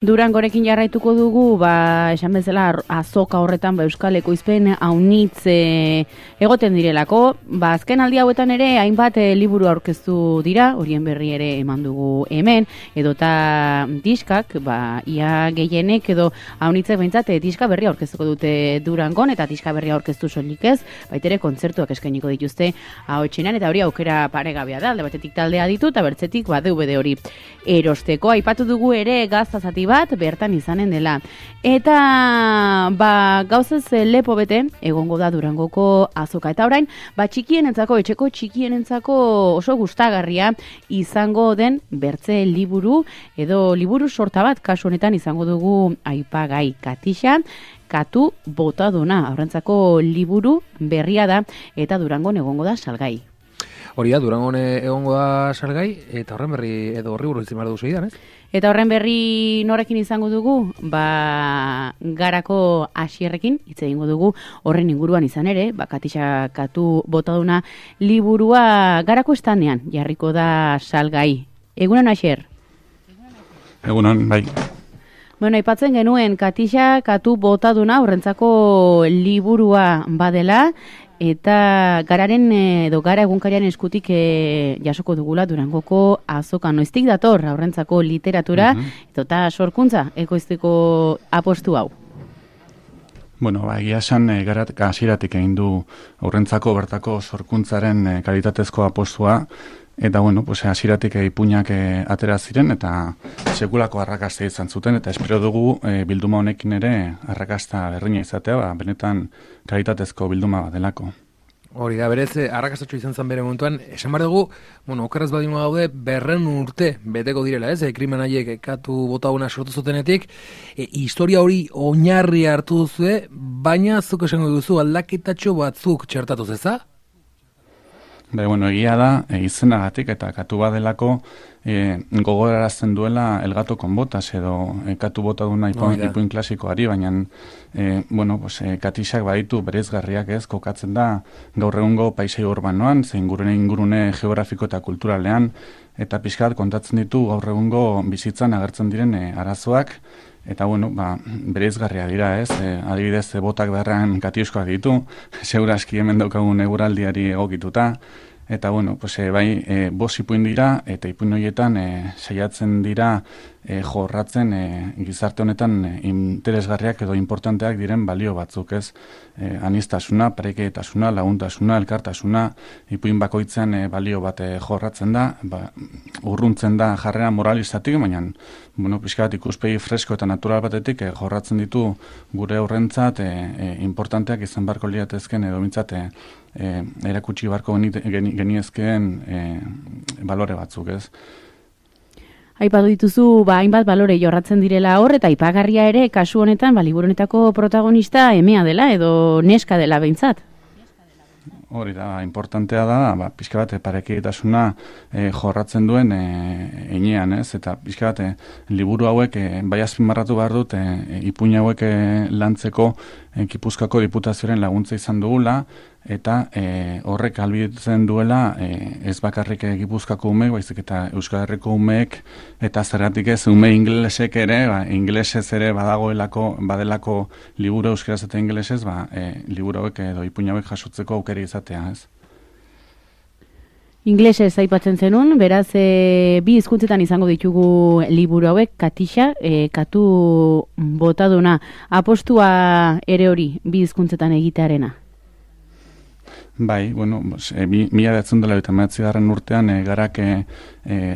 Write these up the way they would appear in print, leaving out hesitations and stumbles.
Durangorekin jarraituko dugu, esan bezala azoka horretan Euskal Ekoizpen aunitz egoten direlako. Azken aldi hauetan ere hainbat liburu aurkeztu dira, horien berri ere eman dugu hemen, edota diskak, ia gehienek edo aunitzek behintzat diska berri aurkeztuko dute Durangon, eta diska berri aurkeztu soilik ez, baitere kontzertuak eskainiko dituzte ahotsenan, eta hori aukera paregabea da, alde batetik taldea ditu, eta bertzetik DVD hori erosteko. Aipatu dugu ere gaztazati bat bertan izanen dela. Eta gauzez lepo bete egongo da Durangoko azoka. Eta orain, txikienentzako, etxeko txikienentzako oso gustagarria izango den bertze liburu edo liburu sorta bat, kasu honetan izango dugu aipagai Katixa, Katu botaduna. Aurrentzako liburu berria da eta Durangon egongo da salgai. Hori da, Durangon egongo da salgai, eta horren berri edo horri buruz izan duzu idan, ez? Eta horren berri norekin izango dugu? Garako Asierrekin hitz egingo dugu horren inguruan izan ere, Katixa Katu botaduna liburua Garako estanean jarriko da salgai. Egunon, Asier? Egunon, bai. Bueno, aipatzen genuen Katixa Katu botaduna horrentzako liburua badela, eta gararen edo gara egunkarian eskutik jasoko dugula Durangoko azoka. Noiztik dator aurrentzako literatura eta sorkuntza ekoizteko apostu hau? Bueno, egia esan garat hasieratik egin du aurrentzako bertako sorkuntzaren kalitatezko apostua, eta bueno, hasieratik ipuinak atera ziren eta sekulako arrakasta izan zuten, eta espero dugu bilduma honekin ere arrakasta berdina izatea, benetan kalitatezko bilduma bat delako. Hori da, berez, arrakastatxo izan zen bere momentuan, esan behar dugu, okerraz badimo gaude, 200 urte beteko direla, ez? Krimen haiek Katu botaduna sortu zutenetik, historia hori oinarri hartu duzue, baina zuk esango duzu aldaketatxo batzuk txertatuz, eza? Egia da, izenagatik eta Katu badelako gogorarazten duela El gato con botas edo Katu botaduna ipuin klasikoari, baina Katixak baditu bereizgarriak, ez, kokatzen da gaur egungo paisai urbanoan, zein ingurune geografiko eta kulturalean, eta pixkat kontatzen ditu gaur egungo bizitzan agertzen diren arazoak, eta bereizgarria dira, ez, adibidez botak beharrean Katiuskoak ditu, seguraski hemen daukagun eguraldiari egokituta, eta bost ipuin dira, eta ipuin horietan saiatzen dira jorratzen gizarte honetan interesgarriak edo importanteak diren balio batzuk, ez, aniztasuna, pareketasuna, laguntasuna, elkartasuna, ipuin bakoitzen balio bat jorratzen da, urruntzen da jarrera moralistatik, baina pixka bat ikuspegi fresko eta natural batetik jorratzen ditu gure horrentzat importanteak izan barko liatezken edo mintzat erakutsi barko geniezkeen balore batzuk, ez. Aipatu dituzu, hainbat balore jorratzen direla hor, eta aipagarria ere, kasu honetan, liburu honetako protagonista emea dela, edo neska dela behintzat. Hori da, importantea da, pixka bat parekidetasuna jorratzen duen heinean, ez? Eta pixka bat liburu hauek bai azpimarratu behar dut ipuin hauek lantzeko Gipuzkoako Diputazioaren laguntza izan dugula, eta horrek ahalbidetzen duela ez bakarrik Gipuzkoako umeek, baizik eta Euskal Herriko umeek, eta zergatik ez ume ingelesek ere, ingelesez ere badelako liburu euskaraz eta ingelesez, liburu hauek edo ipuin hauek jasotzeko aukera izatea, ez? Inglesez aipatzen zenun, beraz bi hizkuntzetan izango ditugu liburu hauek, Katixa, Katu botaduna, apostua ere hori bi hizkuntzetan egitearena? Bai, 1989 urtean garak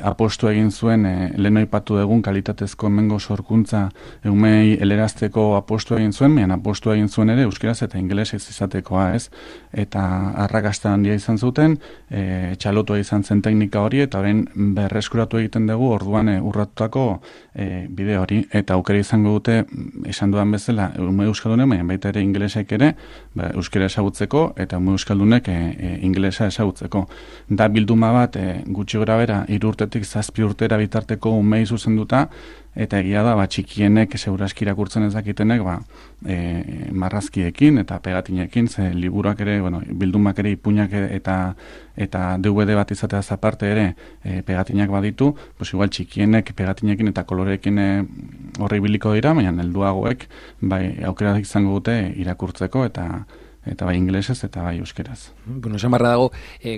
apostu egin zuen lehen aipatu dugun kalitatezko hemengo sorkuntza umei helerazteko apostu egin zuen, apostu egin zuen ere euskaraz eta ingelesez izatekoa, ez? Eta arrakasta handia izan zuten, txalotua izan zen teknika hori, eta orain berreskuratu egiten dugu orduan urratutako bide hori, eta aukera izango dute, esan dudan bezala, ume euskaldunen, baina baita ere ingelesek ere, euskara ezagutzeko, eta ume euskaldunen ipunek ingelesa ezagutzeko. Da bilduma bat gutxi gora bera 3 urtetik 7 urtera bitarteko umei zuzenduta, eta egia da, txikienek seguraski irakurtzen ez dakitenek, marrazkiekin eta pegatinekin, ze liburuak ere, bildumak ere ipuinak eta DVD bat izateaz aparte ere pegatinak baditu, igual txikienek pegatinekin eta koloreekin horri biliko dira, baina helduagoek aukera izango dute irakurtzeko eta bai ingelesez eta bai euskeraz. Bueno, esan barra dago,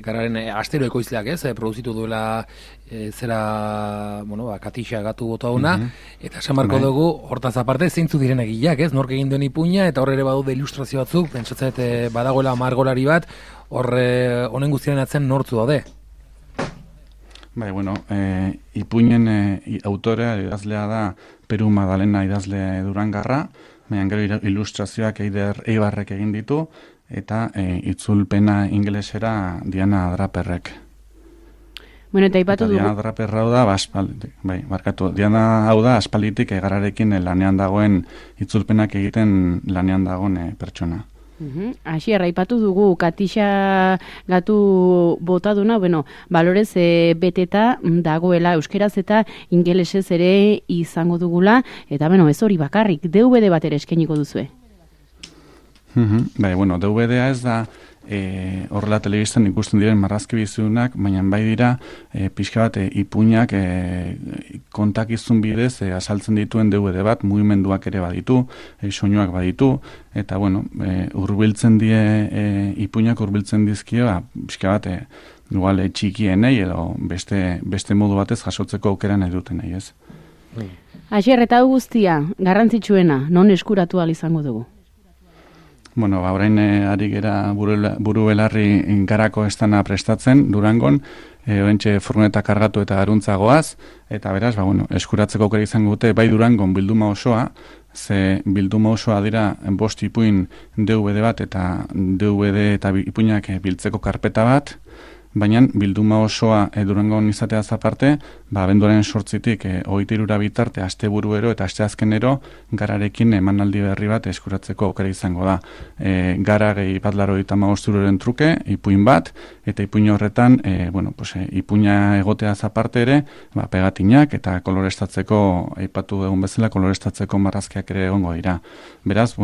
gararen astero ekoizleak produzitu duela Katixa gatu bota una, eta esan barko dugu, hortaz aparte, zeintzu diren egileak, nork egin duen ipuina, eta horre ere badaude ilustrazio batzuk, pentsatzet badagoela margolari bat, horre honen guztiaren atzen nortzu daude. Bai, ipuinen autorea idazlea da Peru Madalena idazle Durangarra, baina gero ilustrazioak Eider Eibarrek egin ditu, eta itzulpena ingelesera Diana Draperrek. Bueno, eta ipatu dugu. Diana Draperra hau da, Diana hau da aspalditik gararekin lanean dagoen itzulpenak egiten lanean dagoen pertsona. Asier, aipatu dugu Katixa gatu botaduna, balorez beteta dagoela euskeraz eta ingelesez ere izango dugula, eta ez hori bakarrik, DVD bat ere eskainiko duzue. DVD-a ez da horrela telebistan ikusten diren marrazki bizunak, baina bai dira pixka bat ipuinak kontakizun bidez azaltzen dituen DVD bat, mugimenduak ere baditu, soinuak baditu, eta hurbiltzen die ipuinak hurbiltzen dizkio, pixka bat igual txikienei edo beste modu batez jasotzeko aukera nahi duten nahi ez. Asier, eta guztia, garrantzitsuena, non eskuratu ahal izango dugu? Orain ari gera buru belarri garako estana prestatzen Durangon, oentxe furgoneta kargatu eta garuntzagoaz, eta beraz, eskuratzeko aukera izango dute, bai Durangon bilduma osoa, ze bilduma osoa dira 5 ipuin DVD bat eta DVD eta ipuinak biltzeko karpeta bat, baina bilduma osoa Durangon izateaz aparte, abenduaren 8-tik 23 bitarte asteburuero eta asteazkenero gararekin emanaldi berri bat eskuratzeko aukera izango da. Gara gehi bat 85 euroren truke, ipuin bat, eta ipuin horretan, ipuina egoteaz aparte ere, pegatinak eta kolorestatzeko, aipatu egun bezala, kolorestatzeko marrazkiak ere egongo dira. Beraz,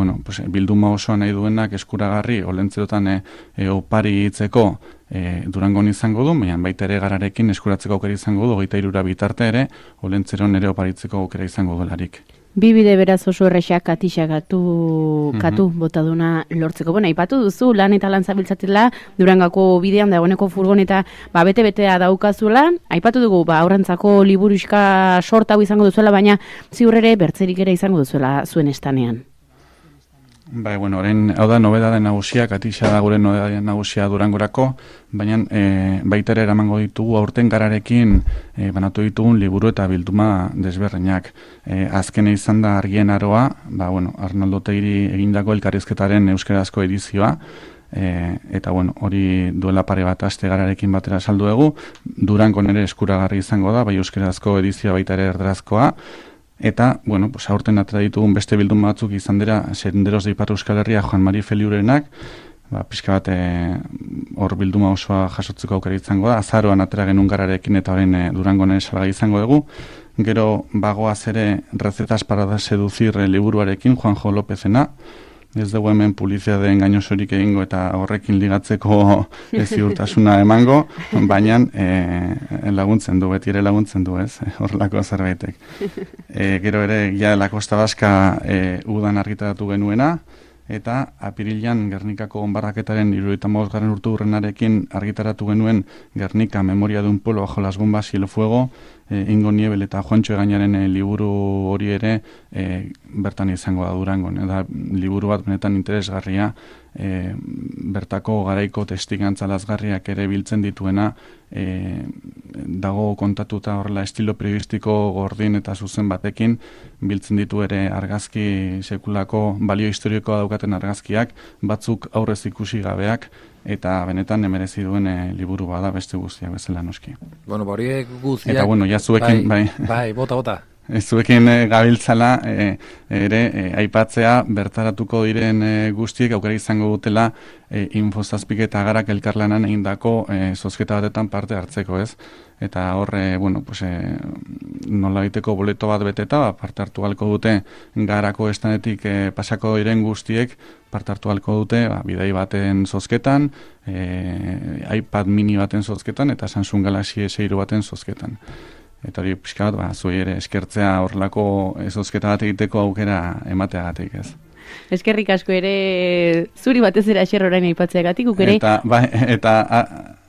bilduma osoa nahi duenak eskuragarri, olentzerotan opari hitzeko Durangon izango du, baina baita ere gararekin eskuratzeko aukera izango du, 23 bitarte ere, olentzeron ere oparitzeko aukera izango delarik. Bi bide beraz oso errexak Katixa katu botaduna lortzeko. Aipatu duzu, lan eta lan zabiltzatela, Durangako bidean dagoeneko furgoneta bete-betea daukazula. Aipatu dugu, aurrentzako liburuxka sorta hau izango duzuela, baina ziurrere bertzerik ere izango duzuela zuen estanean. Orain, hau da nobedade nagusia, Katixa da gure nobedade nagusia Durangorako, baina baita ere eramango ditugu aurten gararekin banatu ditugun liburu eta bilduma desberdinak. Azkene izan da Argien Aroa, Arnaldo Otegiri egindako elkarrizketaren euskarazko edizioa, eta hori duela pare bat aste gararekin batera saldu dugu, Durangon ere eskuragarri izango da, bai euskarazko edizioa baita ere erderazkoa, eta, aurten atera ditugun beste bilduma batzuk izan dira, Senderos de Ipar Euskal Herria Juan Mari Feliurenak, pixka bat hor bilduma osoa jasotzeko aukera izango da, azaroan atera genuen gararekin eta orain Durangon ere salgai izango dugu, gero bagoaz ere Recetas para seducir liburuarekin Juanjo Lópezena, ez dugu hemen publizitate engainosorik egingo eta horrekin ligatzeko ziurtasuna emango, baina laguntzen du, beti ere laguntzen du, ez, horrelako zerbaitek. Gero ere, ja, La Costa Vasca udan argitaratu genuena, eta apirilean Gernikako onbarraketaren 75. urteurrenarekin argitaratu genuen Gernika Memoria de un pueblo bajo las bombas y el fuego, Ingo Niebel eta Juantxo Egañaren liburu hori ere bertan izango da Durangon. Eta liburu bat benetan interesgarria, bertako garaiko testigantza lazgarriak ere biltzen dituena, dago kontatuta horrela estilo periodistiko gordin eta zuzen batekin, biltzen ditu ere argazki sekulako balio historikoa daukaten argazkiak, batzuk aurrez ikusi gabeak, eta benetan emerezi duen liburu bada beste guztiak bezala noski. Horiek guztiak... Eta, jazuekin, bai, bota. zuekin gabiltzala ere aipatzea bertaratuko diren guztiek aukera izango dutela Infozazpik eta Garak elkarlanan egindako zozketa batetan parte hartzeko, ez? Eta horre, nola egiteko boleto bat beteta, parte hartu halko dute Garako estanetik pasako diren guztiek parte hartu halko dute bidai baten zozketan, iPad mini baten zozketan eta Samsung Galaxy S3 baten zozketan. Eta hori pixka bat, zuei ere eskertzea horrelako zozketa bat egiteko aukera emateagatik, ez. Eskerrik asko ere zuri batez ere Asier orain aipatzeagatik, ere. Eta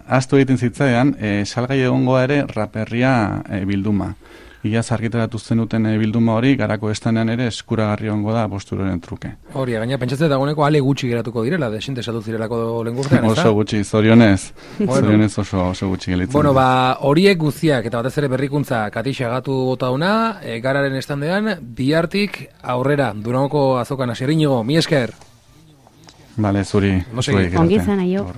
ahaztu egiten zitzaidan, salgai egongo ere raperria bilduma. Iaz argitaratu zenuten bilduma hori, Garako estanean ere eskuragarri ongo da posturoren truke. Hori, gaina pentsatzen dagoeneko ale gutxi geratuko direla, desinte esatu zirelako lengurtean, ez da? Oso gutxi, zorionez. Zorionez oso gutxi gelitzen. Bueno, horiek guztiak, eta batez ere berrikuntza katixagatu botauna, Gararen estandean, bihartik aurrera, Durangoko azokan Asier Iñigo, mi esker. Bale, zuri. Ongi izan, aio.